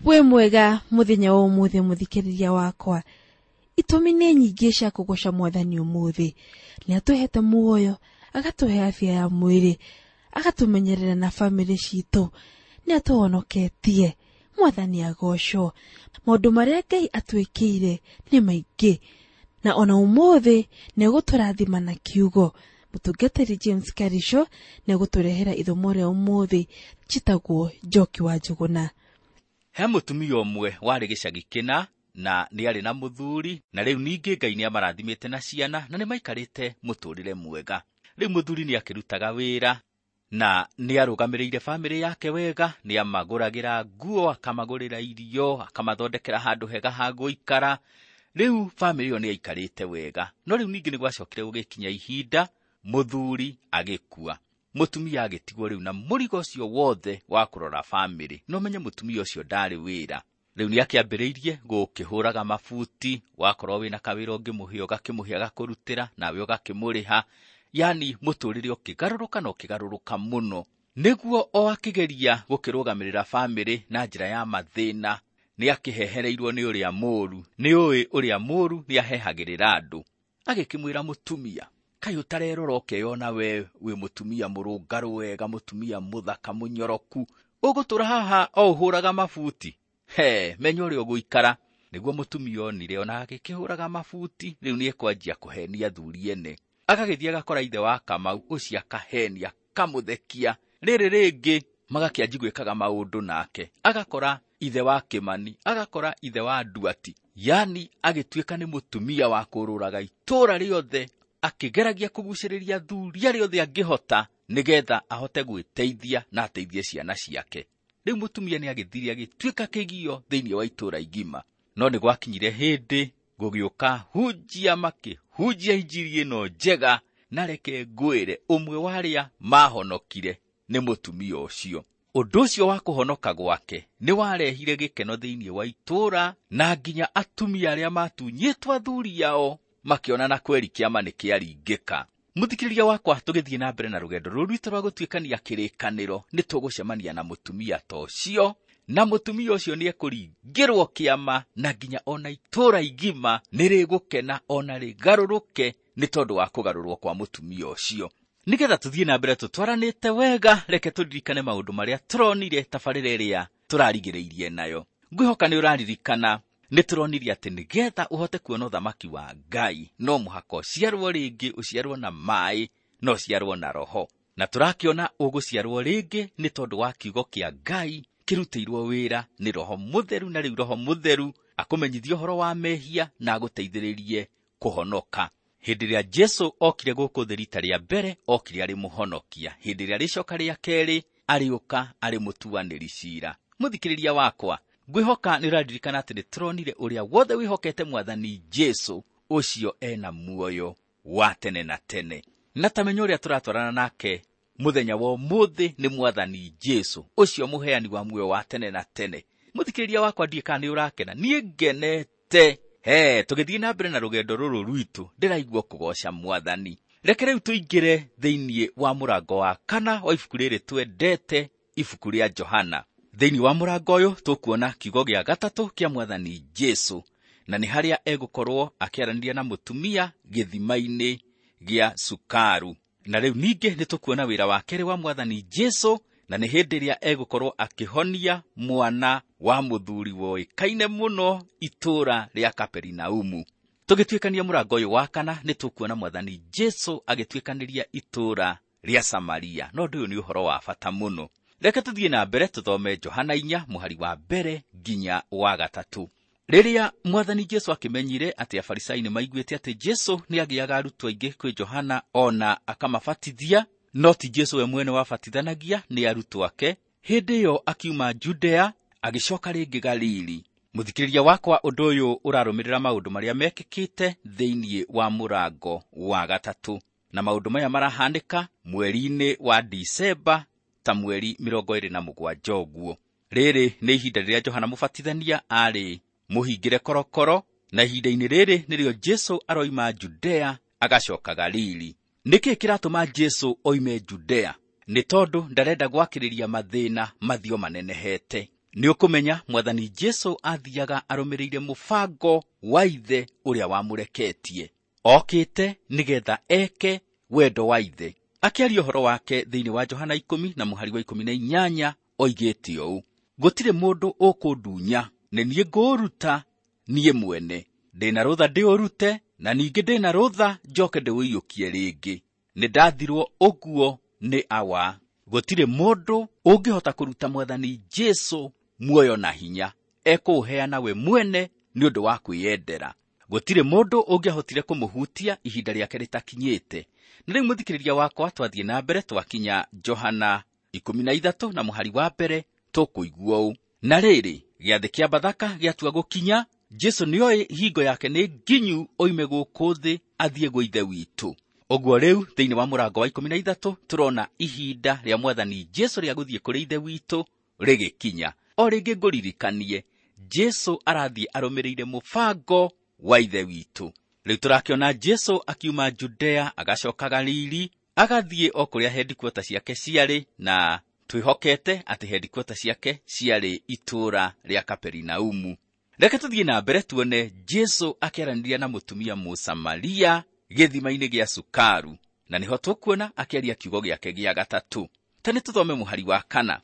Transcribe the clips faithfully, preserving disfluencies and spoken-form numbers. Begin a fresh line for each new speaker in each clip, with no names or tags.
Wĩ mwega mũthenya wa ũmũthĩ mũthikĩrĩria wakwa. Itũmi nĩ nyingĩ cia kũgoca mwathani ũmũthĩ. Nĩ atũhete muoyo, agatũhe afya ya mwĩrĩ, agatũmenyerera na bamĩrĩ citũ, nĩ atũhonoketie. Mwathani agocwo. Maũndũ marĩa Ngai atwĩkĩire nĩ maingĩ, na ona ũmũthĩ nĩ egũtũrathima na kiugo. Mũtungatĩri James Karisho nĩ egũtũrehera ithomo rĩa ũmũthĩ, njĩtagwo Njoki wa Njũgũna.
He mũtumia ũmwe warĩ gĩcagi kĩna na nĩ arĩ na mũthuri, na rĩu ningĩ Ngai nĩ amarathimĩte na ciana na nĩ maikarĩte mũtũrĩre mwega. Rĩu mũthuri nĩ akĩrutaga wĩra na nĩ arũgamĩrĩire bamĩrĩ yake wega, nĩ amagũragĩra nguo, akamagũrĩra irio, akamathondekera handũ hega ha gũikara. Rĩu bamĩrĩ ĩyo nĩ yaikarĩte wega. No rĩu ningĩ nĩ gwacokire gũgĩkinya ihinda mũthuri agĩkua, mũtumia agĩtigwo rĩu na mũrigo ũcio wothe wa kũrora bamĩrĩ. No menye mũtumia ũcio ndarĩ wĩra. Rĩu nĩ akĩambĩrĩirie gũkĩhũraga mabuti, wakorwo wĩna kawĩra ũngĩmũhe ũgakĩmũhe agakũrutĩra, nawe ũgakĩmũrĩha. Yani mũtũrĩre ũkĩgarũrũka na ũkĩgarũrũka mũno. Nĩguo o akĩgeria gũkĩrũgamĩrĩra bamĩrĩ na njĩra ya mathĩna, nĩ akĩhehereirwo nĩ ũrĩa mũũru. Nĩ ũĩ ũrĩa mũũru nĩ ahehagĩrĩra andũ. Agĩkĩmwĩra mũtumia, kaĩ ũtarerora ũkeyona we wĩ mũtumia mũrũngarũ wega, mũtumia mũthaka mũnyoroku, ũgũtũra haha o ũhũraga mabuti? He, menya ũrĩa ũgũikara. Nĩguo mũtumia onire ona agĩkĩhũraga mabuti, rĩu nĩ ekwanjia kũhenia athuri ene. Agagĩthiĩ agakora ithe wa Kamau, ũcio akahenia, akamũthekia. Rĩrĩ rĩngĩ magakĩanji gwĩkaga maũndũ nake. Agakora ithe wa Kĩmani, agakora ithe wa Nduati. Yani agĩtuĩka nĩ mũtumia wa kũrũraga itũũra rĩothe, akĩgeragia kũgucĩrĩria athuri arĩa othe angĩhota nĩgetha ahote gwĩteithia na ateithie ciana ciake. Rĩu mũtumia nĩ agĩthire agĩtuĩka kĩgio thĩinĩ wa itũũra igima. No nĩ gwakinyire hĩndĩ gũgĩũka hunjia makĩhunjia injiri ĩno njega, na reke ngwĩre ũmwe wa arĩa mahonokire nĩ mũtumia ũcio. Ũndũ ũcio wa kũhonoka gwake nĩ warehire gĩkeno thĩinĩ wa itũũra, na nginya atumia arĩa matunyĩtwo athuri ao makĩona na kweri kĩama nĩ kĩaringĩka. Mũthikĩrĩria wakwa, tũgĩthiĩ na mbere na rũgendo rũrũ rwitũ rwa gũtuĩkania kĩrĩkanĩro, nĩ tũgũcemania na mũtumia ta ũcio, na mũtumia ũcio nĩ ekũringĩrwo kĩama, na nginya ona itũũra igima nĩ rĩgũkena ona rĩgarũrũke nĩ tondũ wa kũgarũrwo kwa mũtumia ũcio. Nĩgetha tũthiĩ na mbere tũtwaranĩte wega, reke tũririkane maũndũ marĩa tũronire tabarĩra ĩrĩa tũrarigĩrĩirie nayo. Ngwĩhoka nĩ ũraririkana nĩ tũronire atĩ nĩgetha ũhote kuona ũthamaki wa Ngai no mũhaka ũciarwo rĩngĩ, ũciarwo na maĩ na ũciarwo na Roho. Na tũrakĩona ũgũciarwo rĩngĩ nĩ tondũ wa kiugo kĩa Ngai kĩrutĩirwo wĩra nĩ Roho Mũtheru, na rĩu Roho Mũtheru akũmenyithie ũhoro wa mehia na agũteithĩrĩrie kũhonoka. Hĩndĩ ĩrĩa Jesũ okire gũkũ thĩ rita rĩa mbere, okire arĩ mũhonokia. Hĩndĩ ĩrĩa rĩcoka rĩa kerĩ, arĩũka arĩ mũtuanĩri ciira. Mũthikĩrĩria wakwa, ngwĩhoka nĩ ũraririkana atĩ nĩ tũronire ũrĩa wothe wĩhokete Mwathani Jesũ, ũcio ena muoyo wa tene na tene. Na ta menya ũrĩa tũratwarana nake mũthenya wa ũmũthĩ nĩ Mwathani Jesũ, ũcio mũheani wa muoyo wa tene na tene. Mũthikĩrĩria wakwa, ndiĩ kana nĩ ũrakena, niĩ ngenete. He, tũgĩthiĩ na mbere na rũgendo rũrũ rwitũ, ndĩraigua kũgoca Mwathani. Reke rĩu tũingĩre thĩinĩ wa mũrango wa kana wa ibuku rĩrĩ twendete, ibuku rĩa Johana. Thĩinĩ wa mũrango ũyũ tũkuona kiugo gĩa gatatũ kĩa Mwathani Jesũ, na nĩ harĩa egũkorwo akĩaranĩria na mũtumia gĩthima-inĩ gĩa Sukaru. Na rĩu ningĩ nĩ tũkuona wĩra wa kerĩ wa Mwathani Jesũ, na nĩ hĩndĩ ĩrĩa egũkorwo akĩhonia mwana wa mũthuri woĩkaine mũno itũũra rĩa Kaperinaumu. Tũgĩtuĩkania mũrango ũyũ wa kana, nĩ tũkuona Mwathani Jesũ agĩtuĩkanĩria itũũra rĩa Samaria. No ũndũ ũyũ nĩ ũhoro wa bata mũno. Reke tũthiĩ na mbere tũthome Johana inya mũhari wa mbere nginya wa gatatũ. Rĩrĩa Mwathani Jesũ akĩmenyire atĩ Afarisai nĩ maiguĩte atĩ Jesũ nĩ agĩaga arutwo aingĩ kwĩ Johana ona akamabatithia, no ti Jesũ we mwene wabatithanagia, nĩ arutwo ake. Hĩndĩ ĩyo akiuma Judea agĩcoka rĩngĩ Galili. Mũthikĩrĩria wakwa, ũndũ ũyũ ũrarũmĩrĩra maũndũ marĩa mekĩkĩte thĩinĩ wa mũrango wa gatatũ, na maũndũ maya marahanĩka mweri-inĩ wa Disemba ta mweri mĩrongo ĩrĩ na mũgwanja ũguo. Rĩrĩ nĩ ihinda rĩrĩa Johana Mũbatithania arĩ mũhingĩre korokoro, na ihinda-inĩ rĩrĩ nĩrĩo Jesũ aroima Judea agacoka Galili. Nĩkĩ kĩratũma Jesũ oime Judea? Nĩ tondũ ndarenda gwakĩrĩria mathĩna mathio manenehete. Nĩ ũkũmenya Mwathani Jesu athiaga arũmĩrĩire mũbango wa Ithe ũrĩa wamũreketie. Okĩte nĩgetha eke wendo wa Ithe. Akĩaria ũhoro wake thĩinĩ wa Johana ikũmi na mũhari wa ikũmi na inyanya oigĩte ũũ: gũtirĩ mũndũ ũkũndunya, nĩ niĩ ngũũruta niĩ mwene. Ndĩna rũtha ndĩũrute, na ningĩ ndĩna rũtha njoke ndĩũiyũkie rĩngĩ. Nĩ ndathirwo ũguo nĩ Awa. Gũtirĩ mũndũ ũngĩhota kũruta Mwathani Jesu muoyo na hinya, ekũũheana we mwene nĩ ũndũ wa kwĩyendera. Gũtirĩ mũndũ ũngĩahotire kũmũhutia ihinda rĩake rĩtakinyĩte. Na rĩu mũthikĩrĩria wakwa, twathiĩ na mbere twakinya Johana ikũmi na ithatũ na mũhari wa mbere tũkũigua ũũ: na rĩrĩ, gĩathĩ kĩa Bathaka gĩatua gũkinya, Jesu nĩoĩ hingo yake nĩ nginyu oime gũkũ thĩ athiĩ gwĩ Ithe witũ. Ũguo rĩu thĩinĩ wa mũrango wa ikũmi na ithatũ tũrona ihinda rĩa Mwathani Jesu rĩa gũthiĩ kũrĩ Ithe witũ rĩgĩkinya. O rĩngĩ ngũririkanie, Jesu arathiĩ arũmĩrĩire mũbango wa Ithe witũ. Rĩu tũrakĩona Jesu akiuma Judea agacoka Galili, agathiĩ o kũrĩa headquarters ciake ciarĩ, na twĩhokete atĩ headquarters ciake ciarĩ itũũra rĩa Kaperinaumu. Reke tũthiĩ na mbere tuone Jesu akĩaranĩria na mũtumia Mũsamaria gĩthima-inĩ gĩa Sukaru, na nĩho tũkuona akĩaria kiugo gĩake gĩa gatatũ. Ta nĩ tũthome mũhari wa kana.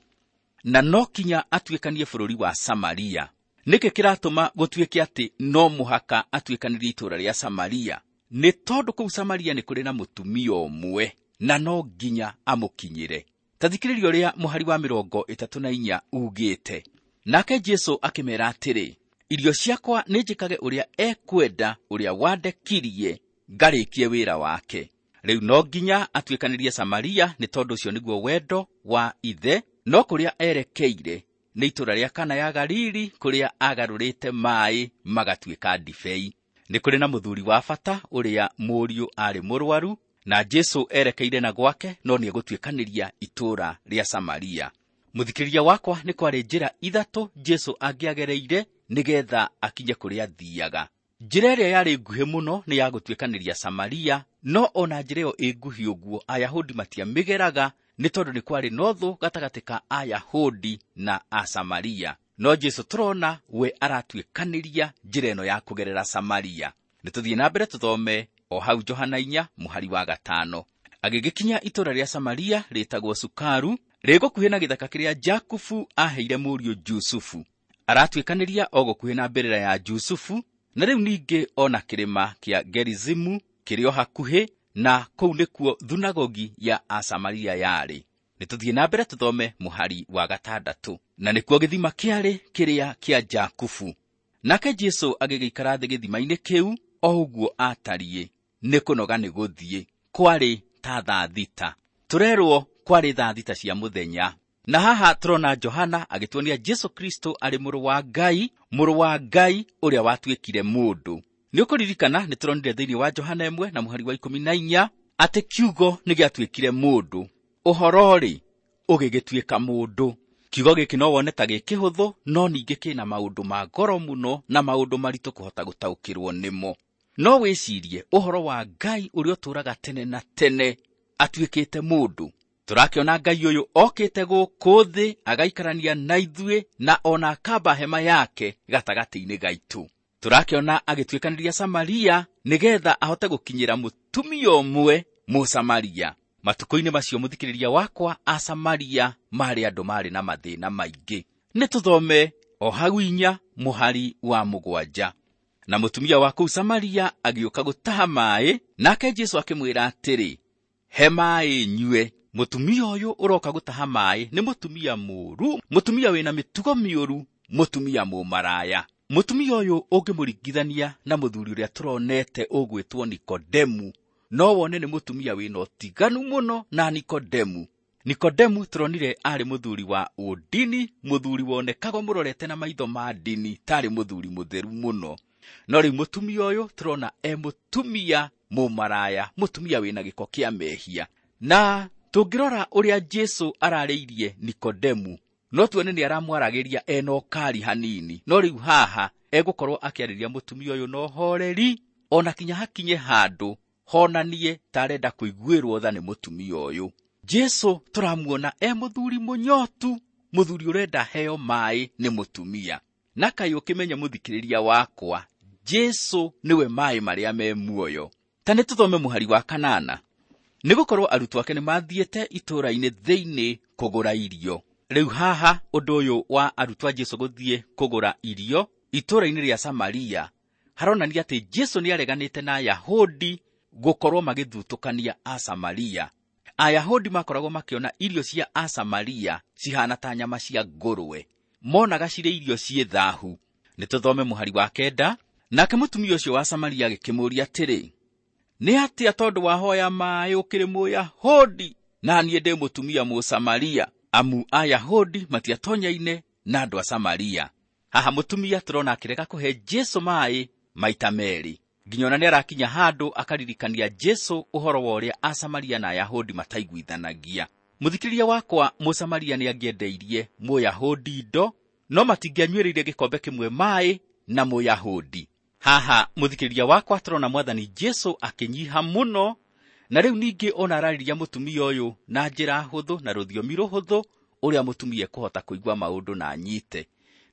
Na no kinya atuĩkanie bũrũri wa Samaria. Nĩkĩ kĩratũma gũtuĩke atĩ no mũhaka atuĩkanĩrie itũũra rĩa Samaria? Nĩ tondũ kũu Samaria nĩ kũrĩ na mũtumia ũmwe, na no nginya amũkinyĩre. Ta thikĩrĩria ũrĩa mũhari wa mĩrongo ĩtatũ na inya ugĩte. Nake Jesu akĩmera atĩrĩ, irio ciakwa nĩ njĩkage ũrĩa ekwenda ũrĩa wandekirie, ngarĩkie wĩra wake. Rĩu no nginya atuĩkanĩrie Samaria, nĩ tondũ ũcio nĩguo wendo wa Ithe. No kũrĩa erekeire nĩ itũũra rĩa Kana ya Galili, kũrĩa agarũrĩte maaĩ magatuĩka ndibei. Nĩ kũrĩ na mũthuri wa bata ũrĩa mũriũ arĩ mũrwaru, na Jesu erekeire na gwake, no nĩegũtuĩkanĩria itũũra rĩa Samaria. Mũthikĩrĩria wakwa, nĩ kwarĩ njĩra ithatũ Jesu angĩagereire nĩgetha akinye kũrĩa athiaga. Njĩra ĩrĩa yarĩ nguhĩ mũno nĩ ya gũtuĩkanĩria Samaria, no ona njĩra ĩyo ĩ nguhĩ ũguo Ayahudi matiamĩgeraga, nĩ tondũ nĩ kwarĩ na ũthũ gatagatĩ ka Ayahudi na Asamaria. No Jesu tũrona we aratuĩkanĩria njĩra ĩno ya kũgerera Samaria. Nĩ tũthiĩ na mbere tũthome o hau Johana inya mũhari wa gatano. Agĩgĩkinya itũũra rĩa Samaria rĩtagwo Sukaru, rĩ gũkuhĩ na gĩthaka kĩrĩa Jakubu aheire mũriũ Jusufu. Aratuĩkanĩria o gũkuhĩ na mbĩrĩra ya Jusufu, na rĩu ningĩ ona kĩrĩma kĩa Gerizimu kĩrĩ o hakuhĩ, na kũu nĩkuo thunagogi ya Asamaria yarĩ. Nĩ tũthiĩ na mbere tũthome mũhari wa gatandatũ. Na nĩkuo gĩthima kĩarĩ kĩrĩa kĩa Jakubu. Nake Jesu agĩgĩikara thĩ gĩthima-inĩ kĩu o ũguo atariĩ, nĩ kũnoga nĩ gũthiĩ. Kwarĩ ta thaa thita. Tũrerwo kwarĩ thaa thita cia mũthenya. Na haha tũrona Johana agĩtuonia Jesu Kristo arĩ mũrũ wa Ngai, mũrũ wa Ngai ũrĩa watuĩkire mũndũ. Nĩ ũkũririkana nĩ tũronire thĩinĩ wa Johana ĩmwe na mũhari wa ikũmi na inya atĩ kiugo nĩ gĩatuĩkire mũndũ. Ũhoro-rĩ, ũgĩgĩtuĩka mũndũ. Kiugo gĩkĩ no wone ta gĩ kĩhũthũ, no ningĩ kĩna maũndũ ma goro mũno na maũndũ maritũ kũhota gũtaũkĩrwo nĩmo. No wĩcirie ũhoro wa Ngai ũrĩa ũtũũraga tene na tene atuĩkĩte mũndũ. Tũrakĩona Ngai ũyũ okĩte gũkũ thĩ agaikarania na ithuĩ, na ona akamba hema yake gatagatĩ-inĩ gaitũ. Tũrakĩona agĩtuĩkanĩria Samaria nĩgetha ahote gũkinyĩra mũtumia ũmwe Mũsamaria. Matukũ-inĩ macio mũthikĩrĩria wakwa, Asamaria marĩ andũ marĩ na mathĩna maingĩ. Nĩ tũthome o hau inya mũhari wa mũgwanja. Na mũtumia wa kũu Samaria agĩũka gũtaha maaĩ, nake Jesu akĩmwĩra atĩrĩ, he maaĩ nyue. Mũtumia ũyũ ũroka gũtaha maaĩ nĩ mũtumia mũũru, mũtumia wĩna mĩtugo mĩũru, mũtumia mũmaraya. Mũtumia ũyũ ũngĩmũringithania na mũthuri ũrĩa tũronete ũgwĩtwo Nikodemu, no wone nĩ mũtumia wĩna ũtiganu mũno na Nikodemu. Nikodemu tũronire arĩ mũthuri wa ũndini, mũthuri wonekagwo mũrorete na maitho ma ndini tarĩ mũthuri mũtheru mũno. No rĩu mũtumia ũyũ tũrona e mũtumia mũmaraya, mũtumia wĩna gĩko kĩa mehia. Na tũngĩrora ũrĩa Jesu ararĩirie Nikodemu, no tuone nĩ aramwaragĩria ena ũkari hanini. No rĩu haha egũkorwo akĩarĩria mũtumia ũyũ na ũhoreri, ona kinya hakinye handũ honanie ta arenda kũiguĩrwo tha nĩ mũtumia ũyũ. Jesu tũramuona e mũthuri mũnyotu, Mũthuri ũrenda heo maĩ nĩ mũtumia. Na kaĩ ũkĩmenya mũthikĩrĩria wakwa, Jesũ nĩwe maĩ marĩa me muoyo. Ta nĩ tũthome mũhari wa kanana. Nĩgũkorwo arutwo ake nĩmathiĩte itũũra-inĩ thĩinĩ kũgũra irio. Rĩu haha ũndũ ũyũ wa arutwo a Jesũ gũthiĩ kũgũra irio itũũra-inĩ rĩa Samaria haronania atĩ Jesũ nĩareganĩte na Ayahudi gũkorwo magĩthutũkania Asamaria. Ayahudi makoragwo makĩona irio cia Asamaria cihana ta nyama cia ngũrwe, monaga cirĩ irio ciĩ thahu. Nĩ tũthome mũhari wa kenda. Nake mũtumia ũcio wa Samaria agĩkĩmũũria atĩrĩ, nĩ atĩa tondũ wahoya maĩ ũkĩrĩ Mũyahudi na niĩ ndĩ mũtumia Mũsamaria? Amu Ayahudi matiatonyaine na andũ a Samaria. Haha mũtumia tũrona akĩrega kũhe Jesũ maĩ maita merĩ, nginya ona nĩarakinya handũ akaririkania Jesũ ũhoro wa ũrĩa Asamaria na Ayahudi mataiguithanagia. Mũthikĩrĩria wakwa, Mũsamaria nĩangĩendeirie Mũyahudi indo, no matingĩanyuĩrĩire gĩkombe kĩmwe maĩ na Mũyahudi. Haha mũthikĩrĩria wakwa tũrona mwathani Jesũ akĩnyiha mũno, na rĩu ningĩ ona ararĩria mũtumia ũyũ na njĩra hũthũ na rũthiomi rũhũthũ ũrĩa mũtumia ekũhota kũigua maũndũ na anyite.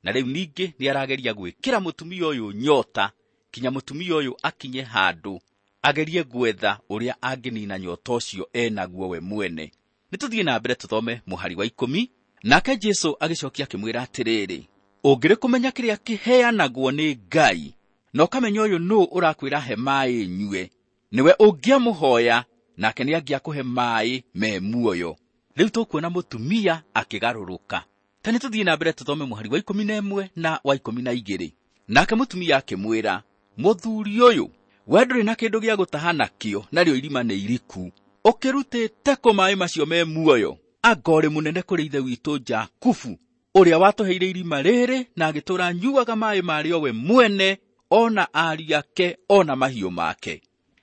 Na rĩu ningĩ nĩarageria gwĩkĩra mũtumia ũyũ nyota, kinya mũtumia ũyũ akinye handũ agerie gwetha ũrĩa angĩnina nyota ũcio enaguo we mwene. Nĩ tũthiĩ na mbere tũthome mũhari wa ikũmi. Nake Jesũ agĩcokia akĩmwĩra atĩrĩrĩ, ũngĩrĩ kũmenya kĩrĩa kĩheanagwo nĩ Ngai, na ũkamenya ũyũ nũũ ũrakwĩra he maĩ nyue, nĩwe ũngĩamũhoya nake nĩangĩakũhe maĩ me muoyo. Rĩu tũkuona mũtumia akĩgarũrũka. Ta nĩ tũthiĩ na mbere tũthome mũhari wa ikũmi na ĩmwe na wa ikũmi na igĩrĩ. Nake mũtumia akĩmwĩra, mũthuri ũyũ, we ndũrĩ na kĩndũ gĩa gũtaha nakĩo, narĩo irima nĩ iriku. Ũkĩrutĩte kũ maĩ macio me muoyo? Anga ũrĩ mũnene kũrĩ ithe witũ Jakubu, ũrĩa watũheire irima rĩrĩ na agĩtũũra anyuaga maĩ marĩo we mwene, ona ariũ ake, ona mahiũ make.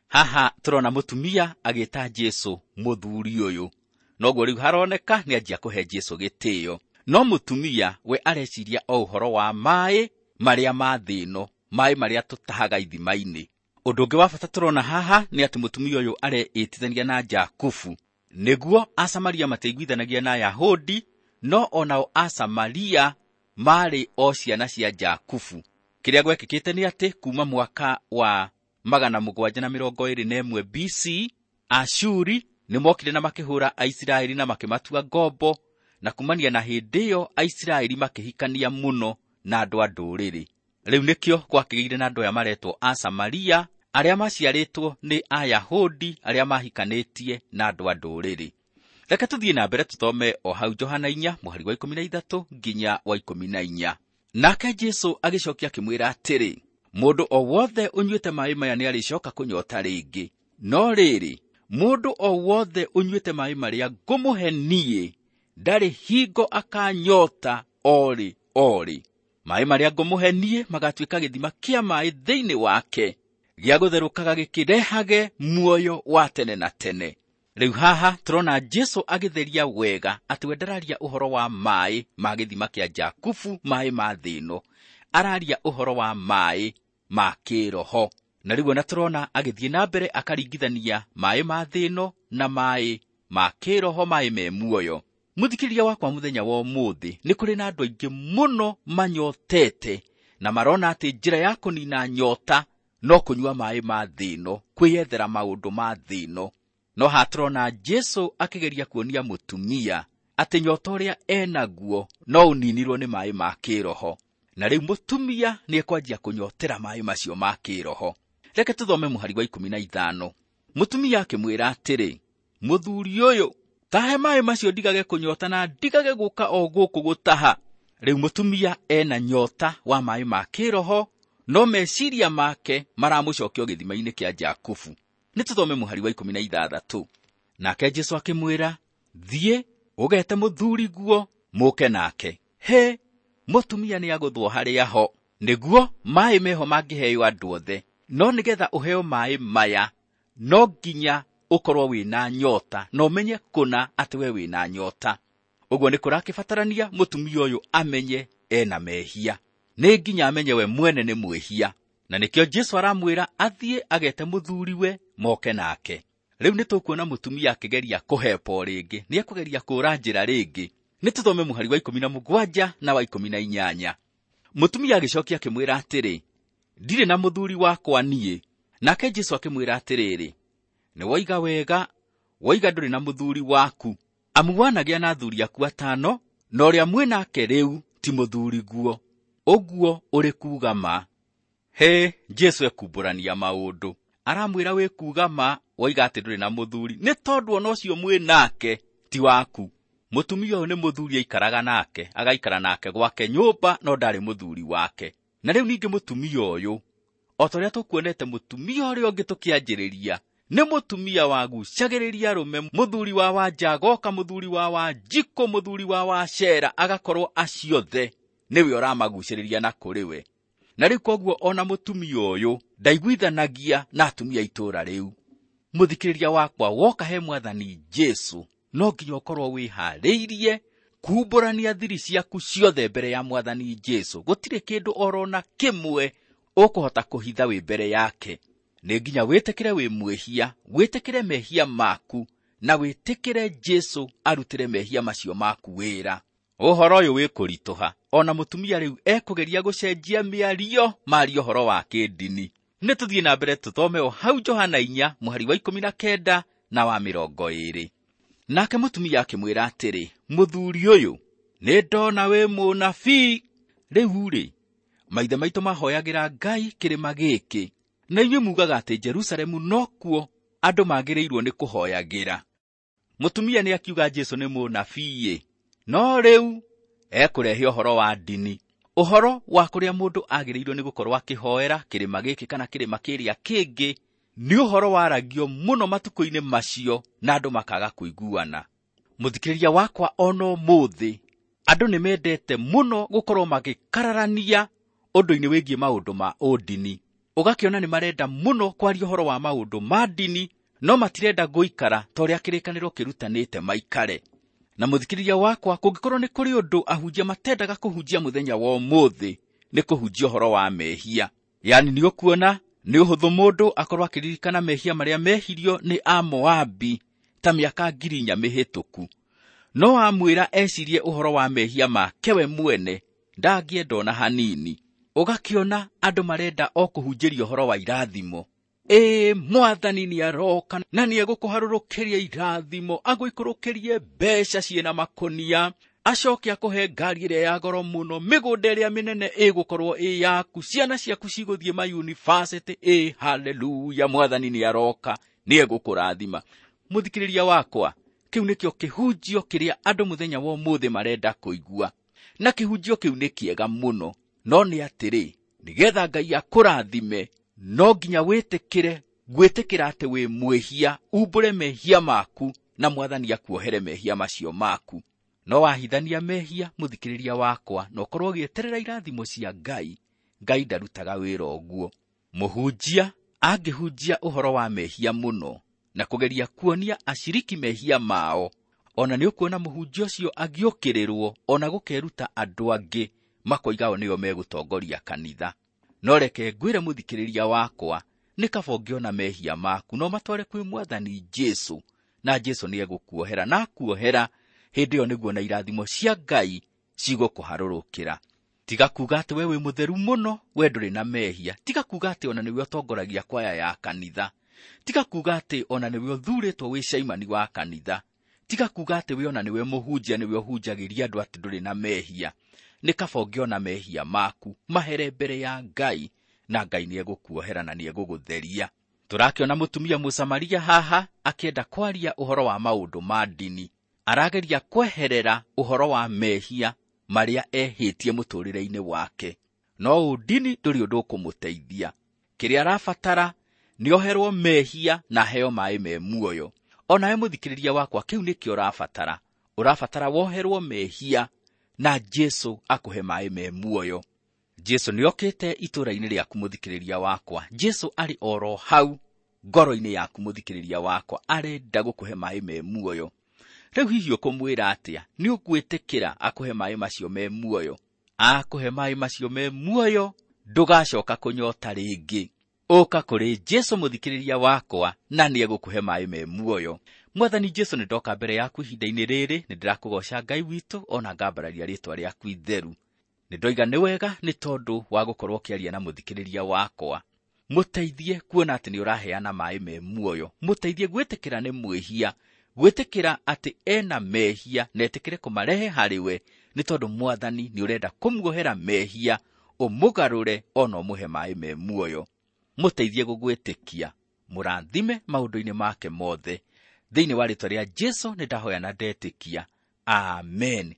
Haha tũrona mũtumia agĩta Jesũ mũthuri ũyũ. Noguo rĩu haroneka nĩanjia kũhe Jesũ gĩtĩo. No mũtumia we areciria o ũhoro wa maĩ marĩa ma thĩ ĩno, maĩ marĩa tũtahaga ithima-inĩ. Ũndũ ũngĩ wa bata tũrona haha nĩ atĩ mũtumia ũyũ areĩtithania na Jakubu. Nĩguo Asamaria matiaiguithanagia na Ayahudi, no onao Asamaria marĩ o ciana cia Jakubu. Kĩrĩa gwekĩkĩte nĩ atĩ kuma mwaka wa magana mũgwanja na mĩrongo ĩrĩ na ĩmwe B C, Ashuri nĩmokire na makĩhũra Aisiraeli na makĩmatua ngombo, na kumania na hĩndĩ ĩyo Aisiraeli makĩhikania mũno na andũ a ndũrĩrĩ. Rĩu nĩkĩo gwakĩgĩire na andũ aya maretwo Asamaria, arĩa maciarĩtwo nĩ Ayahudi arĩa mahikanĩtie na andũ a ndũrĩrĩ. Reke tũthiĩ na mbere tũthome o hau Johana inya mũhari wa ikũmi na ithatũ nginya wa ikũmi na inya. Nake Jesũ agĩcokia akĩmwĩra atĩrĩ, mũndũ o wothe ũnyuĩte maĩ maya nĩarĩcoka kũnyota rĩngĩ. No rĩrĩ, mũndũ o wothe ũnyuĩte maĩ marĩa ngũmũhe niĩ, ndarĩ hingo akanyota orĩ orĩ. Maĩ marĩa ngũmũhe niĩ magatuĩka gĩthima kĩa maĩ thĩinĩ wake, gĩa gũtherũkaga gĩkĩrehage muoyo wa tene na tene. Rĩu haha tũrona Jesũ agĩtheria wega atĩ we ndararia ũhoro wa maĩ ma gĩthima kĩa Jakubu, maĩ ma thĩ ĩno. Araria ũhoro wa maĩ ma kĩroho. Na rĩu ona tũrona agĩthiĩ na mbere akaringithania maĩ ma thĩ ĩno na maĩ ma kĩroho, maĩ me muoyo. Mũthikĩrĩria wakwa mũthenya wa ũmũthĩ, nĩ kũrĩ na andũ aingĩ mũno manyotete na marona atĩ njĩra ya kũnina nyota no kũnyua maĩ ma thĩ ĩno, kwĩyethera maũndũ ma thĩ ĩno. No haha tũrona Jesũ akĩgeria kuonia mũtumia atĩ nyota ũrĩa enaguo no ũninirwo nĩ maĩ ma kĩroho. Na rĩu mũtumia nĩekwanjia kũnyotera maĩ macio ma kĩroho. Reke tũthome mũhari wa ikũmi na ithano. Mũtumia akĩmwĩra atĩrĩ, mũthuri ũyũ, tahe maĩ macio ndigage kũnyota na ndigage gũka o gũkũ gũtaha. Rĩu mũtumia ena nyota wa maĩ ma kĩroho, no meciria make maramũcokia gĩthima-inĩ kĩa Jakubu. Nĩ tũthome mũhari wa ikũmi na ithathatũ. Nake Jesũ akĩmwĩra, thiĩ ũgete mũthuri guo mũke nake. He, mũtumia nĩagũthwo harĩa ho, nĩguo maĩ meho mangĩheo andũ othe. No nĩgetha ũheo maĩ maya, no nginya ũkorwo wĩna nyota, na ũmenye kũna atĩ we wĩna nyota. Ũguo nĩ kũrakĩbatarania mũtumia ũyũ amenye ena mehia. Nĩ nginya amenye we mwene nĩ mwĩhia. Na nĩkĩo Jesũ aramwĩra athiĩ agete mũthuriwe moke nake. Rĩu nĩ tũkuona mũtumia akĩgeria kũhepa o rĩngĩ, nĩekũgeria kũũra njĩra rĩngĩ. Nĩ tũthome mũhari wa ikũmi na mũgwanja na wa ikũmi na inyanya. Mũtumia agĩcokia akĩmwĩra atĩrĩ, ndirĩ na mũthuri wakwa niĩ. Nake Jesũ akĩmwĩra atĩrĩrĩ, nĩ woiga wega, woiga ndũrĩ na mũthuri waku, amu wanagĩa na athuri aku atano, na ũrĩa mwĩ nake rĩu ti mũthuri guo. Ũguo ũrĩ kuuga ma. He, Jesũ ekumbũrania maũndũ. Aramwĩra wĩ kuuga ma, woiga atĩ ndũrĩ na mũthuri, nĩ tondũ ona ũcio mwĩ nake ti waku. Mũtumia ũyũ nĩ mũthuri aikaraga nake, agaikara nake gwake nyũmba, no ndarĩ mũthuri wake. Na rĩu ningĩ mũtumia ũyũ, o ta ũrĩa tũkuonete mũtumia ũrĩa ũngĩ tũkĩanjĩrĩria, nĩ mũtumia wagucagĩrĩria arũme, mũthuri wa Wanjagoka, mũthuri wa Wanjikũ, mũthuri wa Wacera, agakorwo acio othe nĩwe ũramagucĩrĩria na kũrĩ we. Na rĩu koguo ona mũtumia ũyũ ndaiguithanagia na atumia itũũra rĩu. Mũthikĩrĩria wakwa, woka he Mwathani Jesũ, no nginya ũkorwo wĩharĩirie kumbũrania thiri ciaku ciothe mbere ya Mwathani Jesũ. Gũtirĩ kĩndũ orona kĩmwe ũkũhota kũhitha wĩ mbere yake. Nĩ nginya wĩtĩkĩre wĩ mwĩhia, wĩtĩkĩre mehia maku, na wĩtĩkĩre Jesũ arutĩre mehia macio maku wĩra. Ũhoro ũyũ wĩ kũritũha, ona mũtumia rĩu ekũgeria gũcenjia mĩario maria ũhoro wa kĩndini. Nĩ tũthiĩ na mbere tũthome o hau Johana inya mũhari wa ikũmi na kenda na wa mĩrongo ĩĩrĩ. Nake mũtumia akĩmwĩra atĩrĩ, mũthuri ũyũ, nĩ ndona wĩ mũnabii. Rĩu rĩ, maithe maitũ mahoyagĩra Ngai kĩrĩma gĩkĩ, na inyuĩ mugaga atĩ Jerusalemu nokuo andũ magĩrĩirwo nĩ kũhoyagĩra. Mũtumia nĩ akiuga Jesũ nĩ mũnabii, no rĩu ekũrehe ũhoro wa ndini, ũhoro wa kũrĩa mũndũ agĩrĩirwo nĩ gũkorwo akĩhoera kĩrĩma gĩkĩ kana kĩrĩma kĩrĩa kĩngĩ. Nĩ ũhoro waragio mũno matukũ-inĩ macio na andũ makaga kũiguana. Mũthikĩrĩria wakwa, ona ũmũthĩ andũ nĩ mendete mũno gũkorwo magĩkararania ũndũ-inĩ wĩgiĩ maũndũ ma ũndini. Ũgakĩona nĩ marenda mũno kwaria ũhoro wa maũndũ ma ndini, no matirenda gũikara ta ũrĩa kĩrĩkanĩro kĩrutanĩte maikare. Na mũthikĩrĩria wakwa, kũngĩkorwo nĩ kũrĩ ũndũ ahunjia matendaga kũhunjia mũthenya wa ũmũthĩ, nĩ kũhunjia ũhoro wa mehia. Yaani nĩ ũkuona nĩ ũhũthũ mũndũ akorwo akĩririkana mehia marĩa mehirio nĩ Amoabi ta mĩaka ngiri inya mĩhĩtũku, no amwĩra ecirie ũhoro wa mehia make we mwene ndangĩenda ona hanini. Ũgakĩona andũ marenda o kũhunjĩria ũhoro wa irathimo. Ĩ, Mwathani nĩ aroka na nĩ egũkũharũrũkĩria irathimo, agũikũrũkĩrie mbeca ciĩna makũnia, acoke akũhe ngari ĩrĩa ya goro mũno, mĩgũnda ĩrĩa mĩnene ĩgũkorwo ĩ yaku, ciana ciaku cigũthiĩ mayunibacĩtĩ. Ĩ, haleluya, Mwathani nĩ aroka, nĩ egũkũrathima. Mũthikĩrĩria wakwa, kĩu nĩkĩo kĩhunjio kĩrĩa andũ mũthenya wa ũmũthĩ marenda kũigua, na kĩhunjio kĩu nĩ kĩega mũno. No nĩ atĩrĩ, nĩgetha Ngai akũrathime, no nginya wĩtĩkĩre gwĩtĩkĩra atĩ wĩ mwĩhia, umbũre mehia maku na Mwathani akuohere mehia macio maku. No wahithania mehia, mũthikĩrĩria wakwa, na ũkorwo ũgĩeterera irathimo cia Ngai, Ngai ndarutaga wĩra ũguo. Mũhunjia angĩhunjia ũhoro wa mehia mũno na kũgeria kuonia aciriki mehia mao, ona nĩ ũkuona mũhunjia ũcio agĩũkĩrĩrwo, ona gũkeruta andũ angĩ makoiga o nĩo megũtongoria kanitha. No reke ngwĩre mũthikĩrĩria wakwa, nĩ kaba ũngĩona mehia maku no matware kwĩ Mwathani Jesũ, na Jesũ nĩ egũkuohera, na akuohera hĩndĩ ĩyo nĩguo na irathimo cia Ngai cigũkũharũrũkĩra. Tiga kuuga atĩ we wĩ mũtheru mũno, we ndũrĩ na mehia. Tiga kuuga atĩ ona nĩwe ũtongoragia kwaya ya kanitha. Tiga kuuga atĩ ona nĩwe ũthurĩtwo wĩ caimani wa kanitha. Tiga kuuga atĩ we ona nĩwe mũhunjia, nĩwe ũhunjagĩria andũ atĩ ndũrĩ na mehia. Nĩ kaba ũngĩona mehia maku mahere mbere ya Ngai, na Ngai nĩ egũkuohera na nĩ egũgũtheria. Tũrakĩona mũtumia Mũsamaria haha akĩenda kwaria ũhoro wa maũndũ ma ndini. Arageria kweherera ũhoro wa mehia marĩa ehĩtie mũtũũrĩre-inĩ wake, no ũndini ndũrĩ ũndũ ũkũmũteithia. Kĩrĩa arabatara nĩ oherwo mehia na aheo maĩ me muoyo. Onawe mũthikĩrĩria wakwa, kĩu nĩkĩo ũrabatara. Ũrabatara woherwo mehia na Jesũ akũhe maĩ me muoyo. Jesũ nĩokĩte itũũra-inĩ rĩaku mũthikĩrĩria wakwa. Jesũ arĩ oro hau ngoro-inĩ yaku mũthikĩrĩria wakwa, arenda gũkũhe maĩ me muoyo. Rĩu hihi ũkũmwĩra atĩa? Nĩ ũgwĩtĩkĩra akũhe maĩ macio me muoyo? Akũhe maĩ macio me muoyo, ndũgacoka kũnyota rĩngĩ. Ũka kũrĩ Jesũ mũthikĩrĩria wakwa, na nĩegũkũhe maĩ me muoyo. Mwathani Jesũ, nĩ ndoka mbere yaku ihinda-inĩ rĩrĩ, nĩ ndĩrakũgoca Ngai witũ, ona ngambararia rĩtwa rĩaku itheru. Nĩ ndoiga nĩ wega nĩ tondũ wa gũkorwo ũkĩaria na mũthikĩrĩria wakwa. Mũteithie kuona atĩ nĩ ũraheana maĩ me muoyo. Mũteithie gwĩtĩkĩra nĩ mwĩhia, gwĩtĩkĩra atĩ ena mehia na etĩkĩre kũmarehe harĩ we, nĩ tondũ Mwathani nĩ ũrenda kũmuohera mehia, ũmũgarũre ona ũmũhe maĩ me muoyo. Mũteithie gũgwĩtĩkia, mũrathime maũndũ-inĩ make mothe. Thĩinĩ wa rĩtwa rĩa Jesũ nĩ ndahoya na ndetĩkia. Amen.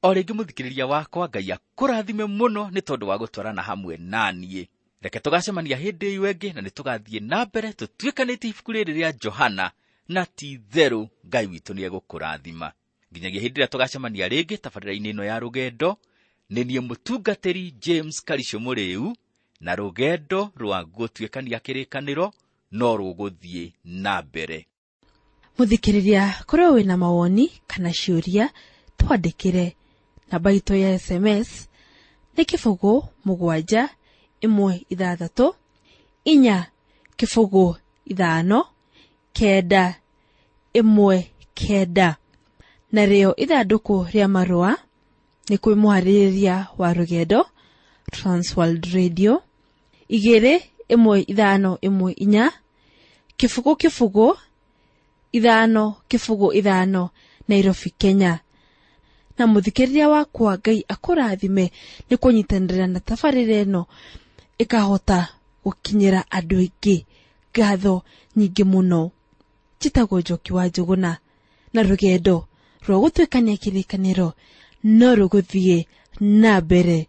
O rĩngĩ mũthikĩrĩria wakwa, Ngai akũrathime mũno nĩ tondũ wa gũtwarana hamwe na niĩ. Reke tũgacemania hĩndĩ ĩyo ĩngĩ, na nĩ tũgathiĩ na mbere tũtuĩkanĩtie ibuku rĩrĩ rĩa Johana, na ti itherũ Ngai witũ nĩ egũkũrathima. Nginyagia hĩndĩ ĩrĩa tũgacemania rĩngĩ tabarĩra-inĩ ĩno ya rũgendo, nĩ niĩ mũtungatĩri James Karisho Mũrĩu, na rũgendo rwa gũtuĩkania kĩrĩkanĩro no rũgũthiĩ na mbere.
Mũthikĩrĩria, korwo wĩna mawoni kana ciũria, twandĩkĩre. Namba itũ ya S M S nĩ kĩbũgũ mũgwanja ĩmwe ithathatũ inya kĩbũgũ ithano kenda ĩmwe kenda. Narĩo ithandũkũ rĩa marũa nĩ kwĩ mũharĩrĩria wa rũgendo Transworld Radio igĩrĩ ĩmwe ithano ĩmwe inya kĩbũgũ kĩbũgũ ithano kĩbũgũ ithano Nairobi, Kenya. Na mũthikĩrĩria wakwa, Ngai akũrathime nĩ kũnyitanĩra na tabarĩra ĩno ĩkahota gũkinyĩra andũ aingĩ. Ngatho nyingĩ mũno. Njĩtagwo Njoki wa Njũgũna, na rũgendo rwa gũtuĩkania kĩrĩkanĩro no rũgũthiĩ na mbere.